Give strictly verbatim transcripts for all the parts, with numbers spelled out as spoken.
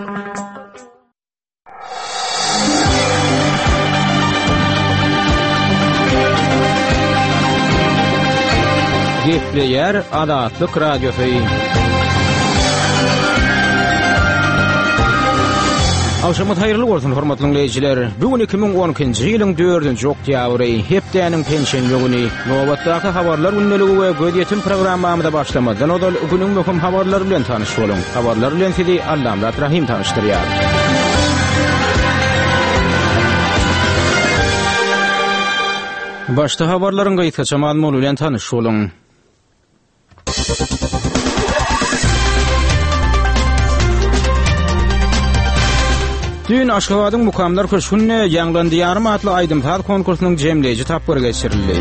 Gepleýär Azatlyk Radiosy. Agşamyňyz haýyrly bolsun, hormatly diňleýjiler. Bu gün iki müň on ikinji ýylyň dördünji oktýabry, hepdäniň penşenbe güni. Nobatdaky habarlar gündeligi we gözýetim programmamyza başlamazdan ozal günüň möhüm habarlary bilen tanyş boluň. Habarlar bilen sizi Allamyrat Rahym tanyşdyrýar. Başda habarlaryň gysgaça mazmuny bilen tanyş boluň. Düýn Aşgabadyň Mukamlar köşgünde Ýaňlan Diýarym atly aýdym-saz konkursynyň jemleýji tapgyry geçirildi.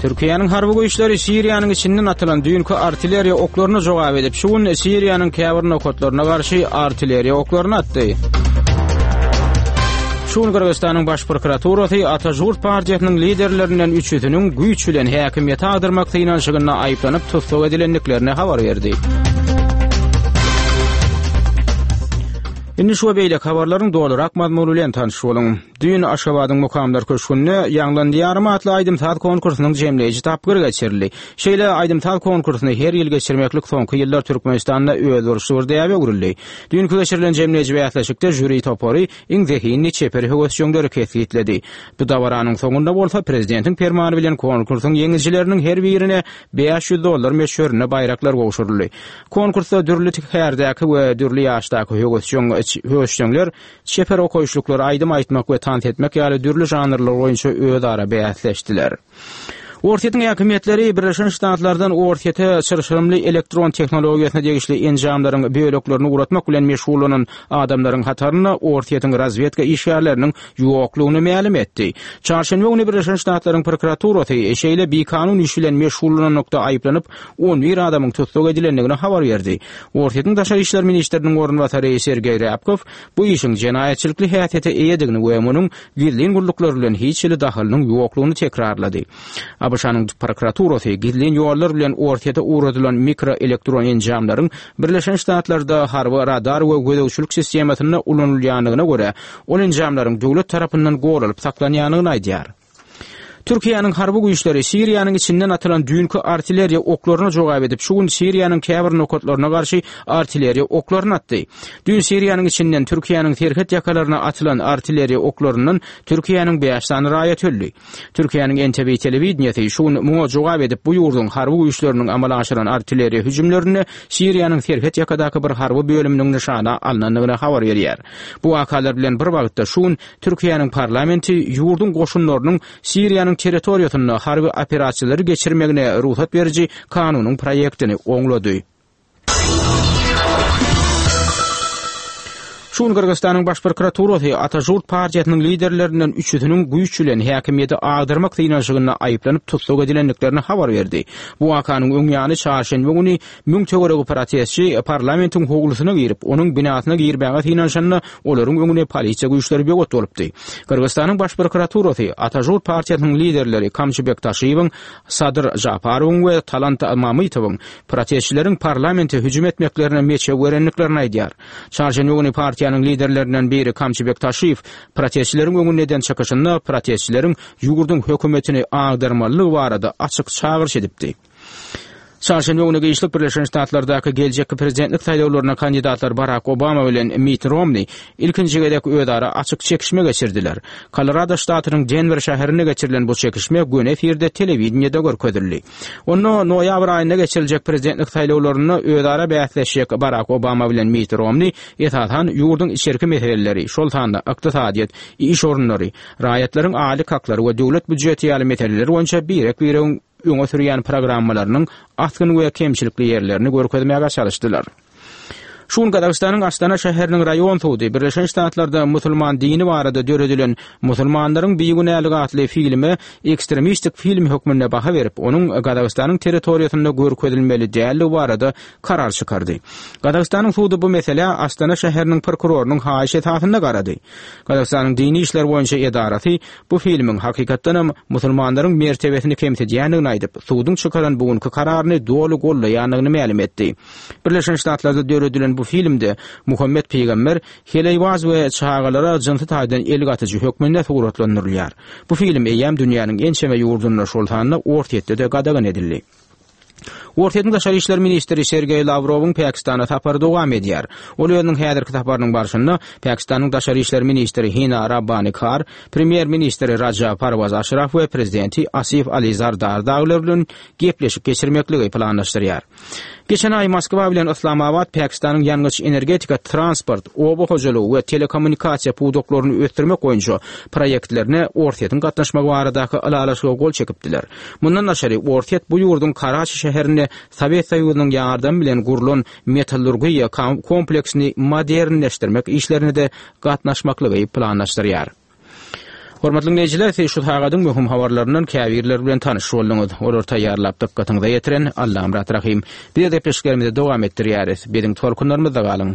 Türkiýäniň harby güýçleri Siriýanyň içinden atylan düýnki artilleriýa oklaryna jogap edip, şu gün Siriýanyň käbir nokatlaryna garşy artilleriýa oklaryny atdy. Şu gün Gyrgyzystanyň Baş prokuraturasy Ata Žurt partiýasynyň liderlerinden üçüsiniň güýç bilen häkimiýeti agdarmak synanyşygynda aýyplanyp tussag edilendiklerini habar berdi. Indi şu we beýleki habarlaryň dolurak mazmuny bilen tanyş boluň. Düýn Aşgabadyň Mukamlar köşgünde Ýaňlan Diýarym atly aýdym-saz konkursynyň jemleýji tapgyry geçirildi. Şeýle aýdym-saz konkursyny her ýyl geçirmeklik soňky ýyllar Türkmenistanda özboluşly bir däbe öwrüldi. Düýnki geçirilen jemleýji bäsleşikde žüri topary iň zehinli çeper höwesjeňleri kesgitledi. Bu dabaranyň soňunda bolsa prezidentiň permany bilen konkursyň ýeňijileriniň her birine bäş ýüz dollar möçberinde baýraklar gowşuryldy. Konkursda dürli kärdäki we dürli ýaşdaky höwesjeň, höwesjeňler çeper okaýyşlyklar, aýdym aýtmak we tans etmek ýaly dürli žanrlar boýunça özara bäsleşdiler. Orsýetiň häkimiýetleri Birleşen Ştatlardan Orsýete çylşyrymly elektron tehnologiýasyna degişli enjamlaryň böleklerini ugratmak bilen meşgullanan adamlaryň hatarynda Orsýetiň razwedka işgärleriniň ýoklugyny mälim etdi. Çarşenbe güni Birleşen Ştatlaryň prokuraturasy şeýle bikanun iş bilen meşgullananlykda aýyplanyp on bir adamyň tussag edilendigini habar berdi. Orsýetiň daşary işler ministriniň orunbasary Sergeý Rýabkow bu işiň jenaýatçylykly häsiýete eýedigini we munuň gizlin gulluklar bilen hiç hili dahylynyň ýoklugyny tekrarlady. A B Ş-nyň prokuraturasy gizlin ýollar bilen Orsýete ugradylan mikroelektron enjamlaryň Birleşen Ştatlarda harby radar we gözegçilik sistemasynda ulanylýandygyna görä, ol enjamlaryň döwlet tarapyndan goralyp saklanýandygyny aýdýar. Türkiýäniň harby güýçleri Siriýanyň içinden atylan düýnki artilleriýa oklaryna jogap edip, şu gün Siriýanyň käbir nokatlaryna garşy artilleriýa oklaryny atdy. Düýn Siriýanyň içinden Türkiýäniň serhet ýakalaryna atylan artilleriýa oklaryndan Türkiýäniň bäş sany raýaty öldi. Türkiýäniň N T V telewideniýesi şu gün muňa jogap edip, bu ýurduň harby güýçleriniň amala aşyran artilleriýa hüjümlerinde Siriýanyň serhet ýakadaky bir harby bölüminiň nyşana alnandygyny habar berýär. Bu wakalar bilen bir wagtda şu gün Türkiýäniň parlamenti ýurduň goşunlarynyň Siriýanyň territoriýasynda harby operasiýalary geçirmegine rugsat beriji kanunyň proýektini oňlady. Şu gün Gyrgyzystanyň Baş prokuraturasy Ata Žurt partiýasynyň liderlerinden üçüsiniň güýç bilen häkimiýeti agdarmak synanyşygynda aýyplanyp tussag edilendiklerini habar berdi. Bu wakanyň öň ýany çarşenbe güni müň töweregi protestçi parlamentiň howlusyna girip, onuň binasyna girmäge synanyşanda olaryň öňüne polisiýa güýçleri böwet bolupdy. Gyrgyzystanyň Baş prokuraturasy Ata Žurt partiýasynyň liderleri Kamçybek Taşiýewiň, Sadyr Žaparowyň we Talant Mamytowyň protestçileriň parlamente hüjüm etmeklerine meçew berendiklerini aýdýar. Çarşenbe güni partiýanyň liderlerinden biri Kamçybek Taşiýew protestçileriň öňünde eden çykyşynda protestçileriň ýurduň hökümetini agdarmalydygy barada açyk çagyryş edipdi. Çarşenbe güni giçlik Birleşen Ştatlardaky geljekki prezidentlik saýlawlaryna kandidatlar Barak Obama bilen Mitt Romney ilkinji gezek özara açyk çekişme geçirdiler. Kolorado ştatynyň Denwer şäherinde geçirilen bu çekişme göni efirde telewideniýede görkezildi. Onda noýabr aýynda geçiriljek prezidentlik saýlawlarynda özara bäsleşjek Barak Obama bilen Mitt Romney esasan ýurduň içerki meseleleri, şol sanda ykdysadyýet, iş orunlary, raýatlaryň aýlyk haklary we döwlet býujeti ýaly meseleler boýunça birek-biregiň öňe sürýän programmalarynyň asgyn we kemçilikli ýerlerini görkezmäge çalyşdylar. Şu gün Gazagystanyň Astana şäheriniň raýon sudy Birleşen Ştatlarda musulman dini barada döredilen Musulmanlaryň bigünäligi atly filme ekstremistik film hökmünde baha berip, onuň Gazagystanyň territoriýasynda görkezilmeli däldigi barada karar çykardy. Gazagystanyň sudy bu meselä Astana şäheriniň prokurorynyň haýyşy esasynda garady. Gazagystanyň dini işler boýunça edarasy bu filmiň hakykatdanam musulmanlaryň mertebesini kemsidýändigini aýdyp, suduň çykaran bu günki kararyny doly gollaýandygyny mälim etdi. Birleşen Ştatlarda döredilen edilen bu filmde Muhammet pygamber heleýbaz we çagalara jynsy taýdan el gatyjy hökmünde suratlandyrylýar. Bu film eýýäm dünýäniň ençeme ýurdunda, şol sanda Orsýetde-de gadagan edildi. Orsýetiň daşary işler ministri Sergeý Lawrowyň Pakistana sapary dowam edýär. Ol özüniň häzirki saparynyň barşynda Pakistanyň daşary işler ministri Hina Rabbani Kar, premýer-ministri Raja Parwaz Aşraf we prezidenti Asif Ali Zardar dagylar bilen gepleşik geçirmekligi planlaşdyrýar. Geçen aý Moskwa bilen Yslamabat Pakistanyň ýangyç-energetika, transport, oba hojalygy we telekommunikasiýa pudaklaryny ösdürmek boýunça proýektlerine Orsýetiň gatnaşmagy baradaky ylalaşyga gol çekipdiler. Mundan daşary, Orsýet bu ýurduň Karaçi şäherinde Sowet Soýuzynyň ýardamy bilen gurlan metallurgiýa kompleksini modernleşdirmek işlerine-de gatnaşmaklygy planlaşdyrýar. Hormatly diňleýjiler, siz şu sagadyň möhüm habarlaryndan käbirleri bilen tanyş bolduňyz. Olary taýýarlap dykgatyňyza ýetiren Allamyrat Rahym. Biz gepleşiklerimizi dowam etdirýäris. Biziň tolkunlarymyzda galyň.